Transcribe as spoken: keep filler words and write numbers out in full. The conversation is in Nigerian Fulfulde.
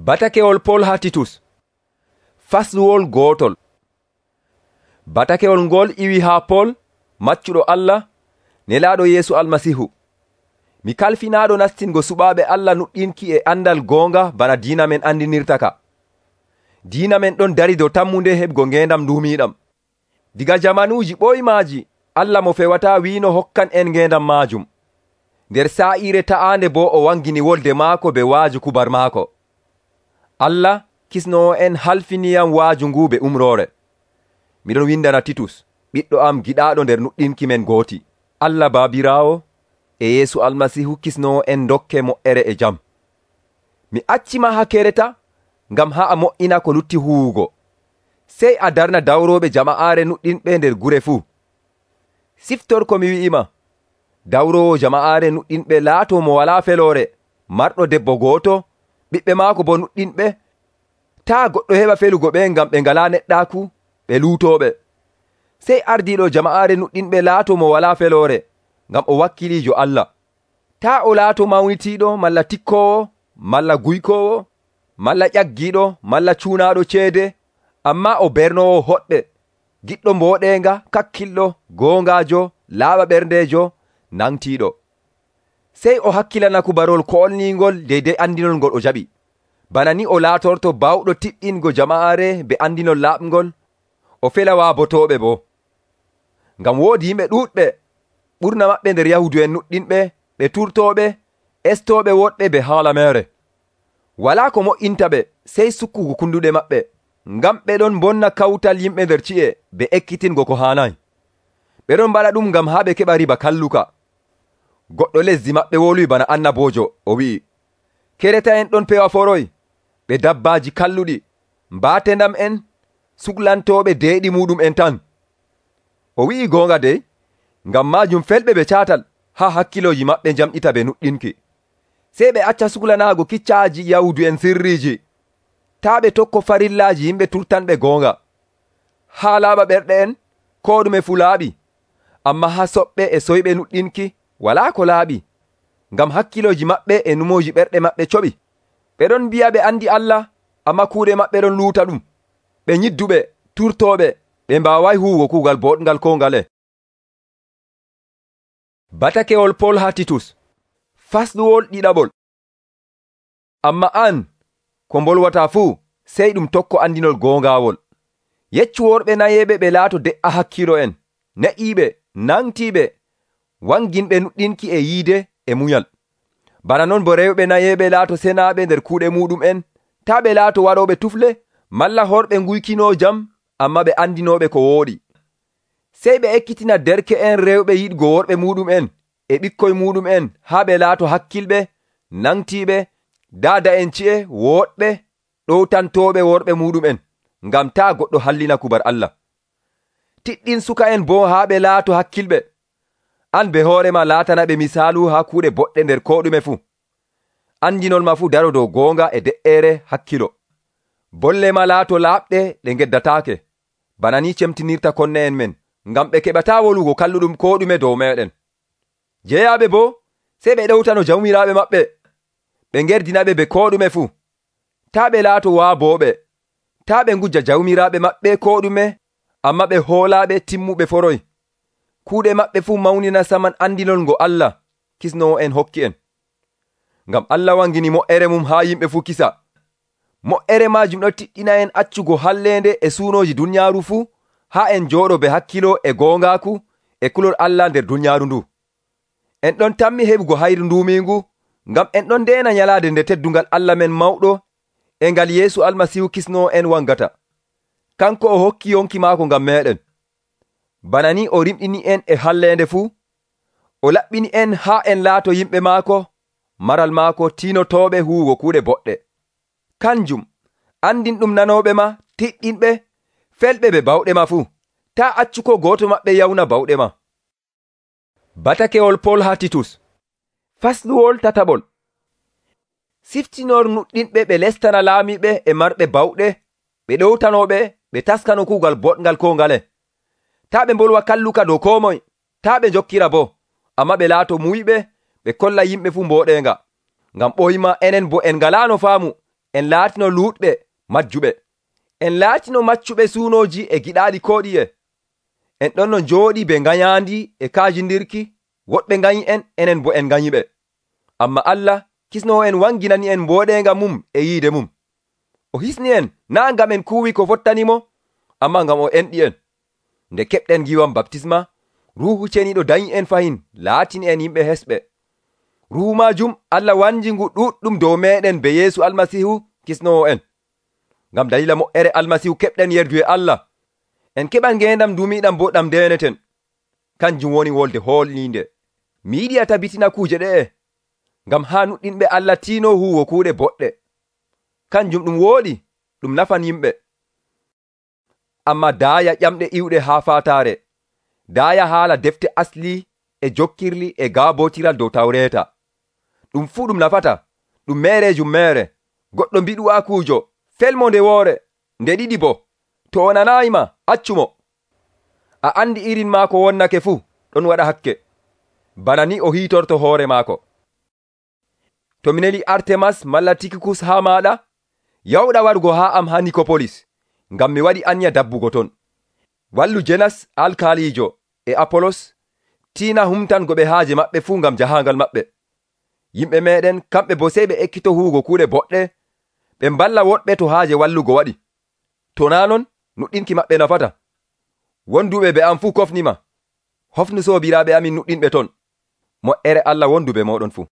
Batakewol Pol haa Titus. Fasluwol gootol. Batakewol ngol iwi haa Pol, maccuɗo Allah, nelaaɗo Yeesu Almasihu. Mi kalfinaaɗo nastingo suɓaaɓe Allah nuɗɗinki e andal goonga bana diina men andinirta ka. Diina men ɗon dari dow tammunde heɓgo ngeendam nduumiiɗam. Diga jamanuuji ɓoymaaji, Allah mo fewataa wiino hokkan en ngeendam maajum. Nder saa'iire ta'aande boo o wangini wolde maako be waaju kubar maako. Allah kisnoo en halfiniyam waaju ngu be umroore. Miɗon windana Titus, ɓiɗɗo am giɗaaɗo nder nuɗɗinki men gooti. Allah Baabiraawo e Yeesu Almasihu kisnoo en dokke mo'ere e jam. Mi accima haa kereta ngam haa a mo'ina ko lutti huwugo. Sey a darna dawrooɓe jama'aare nuɗɗinɓe nder gure fuu. Siftor ko mi wi'ima. Dawroowo jama'aare nuɗɗinɓe laatoo mo walaa feloore, marɗo debbo gooto, ɓiɓɓe maako bo nuɗɗinɓe. Taa goɗɗo heɓa felugo ɓe ngam ɓe ngalaa neɗɗaaku, ɓe luutooɓe. Sey ardiiɗo jama'aare nuɗɗinɓe laatoo mo walaa feloore, ngam o wakkiliijo Allah. Taa o laato mawnitiiɗo malla tikkoowo, malla guykoowo, malla ƴaggiiɗo, malla cuunaaɗo ceede, ammaa o bernoowo hoɗɓe, giɗɗo mbooɗeenga, kakkilɗo, goongaajo, laaɓa ɓerndeejo, nangtiiɗo. Sey o hakkilana kubarol koolniingol deydey andinol ngol o jaɓi. Bana ni o laatorto bawɗo tiɗɗingo jama'aare be andinol laaɓngol, o fela waabotooɓe boo. Ngam woodi yimɓe ɗuuɗɓe, ɓurna maɓɓe nder Yahudu'en nuɗɗinɓe, ɓe turtooɓe, estooɓe woɗɓe be haala meere. Walaa ko mo'inta ɓe sey sukkugo kunduɗe maɓɓe, ngam ɓe ɗon mbonna kawtal yimɓe nder ci'e be ekkitingo ko haanayi. Ɓe ɗon mbaɗa ɗum ngam haa ɓe keɓa riba kalluka. Goɗɗo lesdi maɓɓe woluyi bana annaboojo, o wi'i, kereta'en ɗon pewa foroy, ɓe dabbaaji kalluɗi, mbaatendam en, suklantooɓe deeɗi muɗum en tan. O wi'i goonga dey, ngam maajum felɓe ɓe caatal haa hakkilooji maɓɓe njamɗita ɓe nuɗɗinki. Sey ɓe acca suklanaago kiccaaji Yahudu'en sirriiji. Taa ɓe tokko farillaaji yimɓe turtanɓe goonga. Haa laaɓa ɓerɗe en, koo ɗume fuu laaɓi, ammaa haa soɓɓe e soyɓe nuɗɗinki walaa ko laaɓi, ngam hakkilooji maɓɓe e numooji ɓerɗe maɓɓe coɓi. Ɓe ɗon mbi'a ɓe andi Allah, ammaa kuuɗe maɓɓe ɗon luuta ɗum. Ɓe nyidduɓe, turtooɓe, ɓe mbaaway huwugo kuugal boɗngal koo ngale. Batakewol Pol haa Titus. Fasluwol ɗiɗaɓol. Amma an, ko mbolwataa fuu, sey ɗum tokko andinol goongaawol. Yeccu worɓe nayeeɓe ɓe laato de'a hakkilo en, ne'iiɓe, nangtiiɓe, wanginɓe nuɗɗinki e yiide e munyal. Bana non bo rewɓe nayeeɓe laato senaaɓe nder kuuɗe muɗum en, taa ɓe laato waɗooɓe tufle, malla horɓe nguykinoo jam, amma ɓe andinooɓe ko wooɗi. Sey ɓe ekkitina derke'en rewɓe yiɗgo worɓe muɗum en e ɓikkoy muɗum en haa ɓe laato hakkilɓe, nangtiiɓe, daada'en ci'e wooɗɓe, ɗowtantooɓe worɓe muɗum en, ngam taa goɗɗo hallina kubar Allah. Tiɗɗin suka en boo haa ɓe laato hakkilɓe. An be hoorema laatana ɓe misaalu haa kuuɗe boɗɗe nder koo ɗume fuu. Andinol ma fuu daro dow goonga e de'eere hakkilo. Bolle ma laato laaɓɗe ɗe ngeddataake, bana ni cemtinirta konne en men, ngam ɓe keɓataa wolugo kalluɗum koo ɗume dow meɗen. Jeyaaɓe boo, sey ɓe ɗewtano jawmiraaɓe maɓɓe, ɓe ngerdinaɓe be koo ɗume fuu. Taa ɓe laato waabooɓe, taa ɓe ngujja jawmiraaɓe maɓɓe koo ɗume, amma ɓe hoolaaɓe timmuɓe foroy. Kuuɗe maɓɓe fuu mawnina saman andinol ngo Allah kisnoo en hokki en. Ngam Allah wangini mo'ere mum haa yimɓe fuu kisa. Mo'ere maajum ɗo tiɗɗina en accugo halleende e suunooji dunyaaru fuu, haa en jooɗo be hakkilo e goongaaku e kulol Allah nder dunyaaru ndu. En ɗon tammi heɓugo hayru nduumiingu, ngam en ɗon ndeena nyalaade nde teddungal Allah men mawɗo e ngal Yeesu Almasihu kisnoo en wangata. Kanko o hokki yonki maako ngam meeɗen. Bana ni o rimɗini en e halleende fuu, o laɓɓini en haa en laato yimɓe maako, maral maako tiinotooɓe huwugo kuuɗe boɗɗe. Kanjum, andin ɗum nanooɓe ma, tiɗɗinɓe, felɓe be bawɗe ma fuu. Taa accu ko gooto maɓɓe yawna bawɗe ma. Batakewol Pol haa Titus. Fasluwol tataɓol. Siftinor nuɗɗinɓe ɓe lestana laamiɓe e marɓe bawɗe, ɓe ɗowtanooɓe, ɓe taskano kuugal boɗngal koo ngale. Taa ɓe mbolwa kalluka dow koo moy, taa ɓe jokkira boo, amma ɓe laato muyɓe, ɓe kolla yimɓe fuu mbooɗeenga. Ngam ɓoyma enen bo en ngalaano faamu, en laatino luuɗɓe majjuɓe. En laatino maccuɓe suunooji e giɗaaɗi koo ɗiye. En ɗon no njooɗi be ngayaandi e kaajindirki, woɗɓe nganyi en, enen bo en nganyiɓe. Ammaa Allah kisnoowo en wanginani en mbooɗeenga mum e yiide mum. O hisni en naa' ngam en kuuwi ko fottanimo, ammaa ngam o enɗi en. Nde keɓɗen ngiiwam baptisma, Ruuhu Ceniiɗo danyi en fayin laatini en yimɓe hesɓe. Ruuhu maajum Allah wanji ngu ɗuɗɗum dow meeɗen be Yeesu Almasiihu kisnoowo en. Ngam dalila mo'ere Almasiihu keɓɗen yerdu e Allah. En keɓan ngeendam dumiiɗam bo ɗam ndeneten. Kanjum woni wolde hoolniinde. Mi yiɗi a tabitina kuuje ɗe'e, ngam haa nuɗɗinɓe Allah tiino huuwo kuuɗe boɗɗe. Kanjum ɗum wooɗi, ɗum nafan yimɓe. Ammaa daaya ƴamɗe iwɗe haa faataare. Daaya haala defte asli e jokkirli e gaabootiral dow Tawreeta. Ɗum fuu ɗum nafata, ɗum meereejum meere. Goɗɗo mbiɗu'aakuujo, felmo nde woore, nde ɗiɗi bo, to o nanaayima, accumo. A andi irin maako wonnake fuu, ɗon waɗa hakke. Bana ni o hiitorto hoore maako. To mi neli Artemas malla Tikikus haa maaɗa, yawɗa warugo haa am haa Nikopolis, ngam mi waɗi anya dabbugo ton. Wallu Jenas alkaaliijo e Apolos tiina humtango ɓe haaje maɓɓe fuu ngam jahaangal maɓɓe. Yimɓe meeɗen kamɓe bo sey ɓe ekkito huugo kuuɗe boɗɗe, ɓe mballa woɗɓe to haaje wallugo waɗi. To naa non, nuɗɗinki maɓɓe nafata. Wonduɓe be am fuu kofnima. Hofnu soobiraaɓe amin nuɗɗinɓe ton. Mo'ere Allah wondu be mooɗon fuu.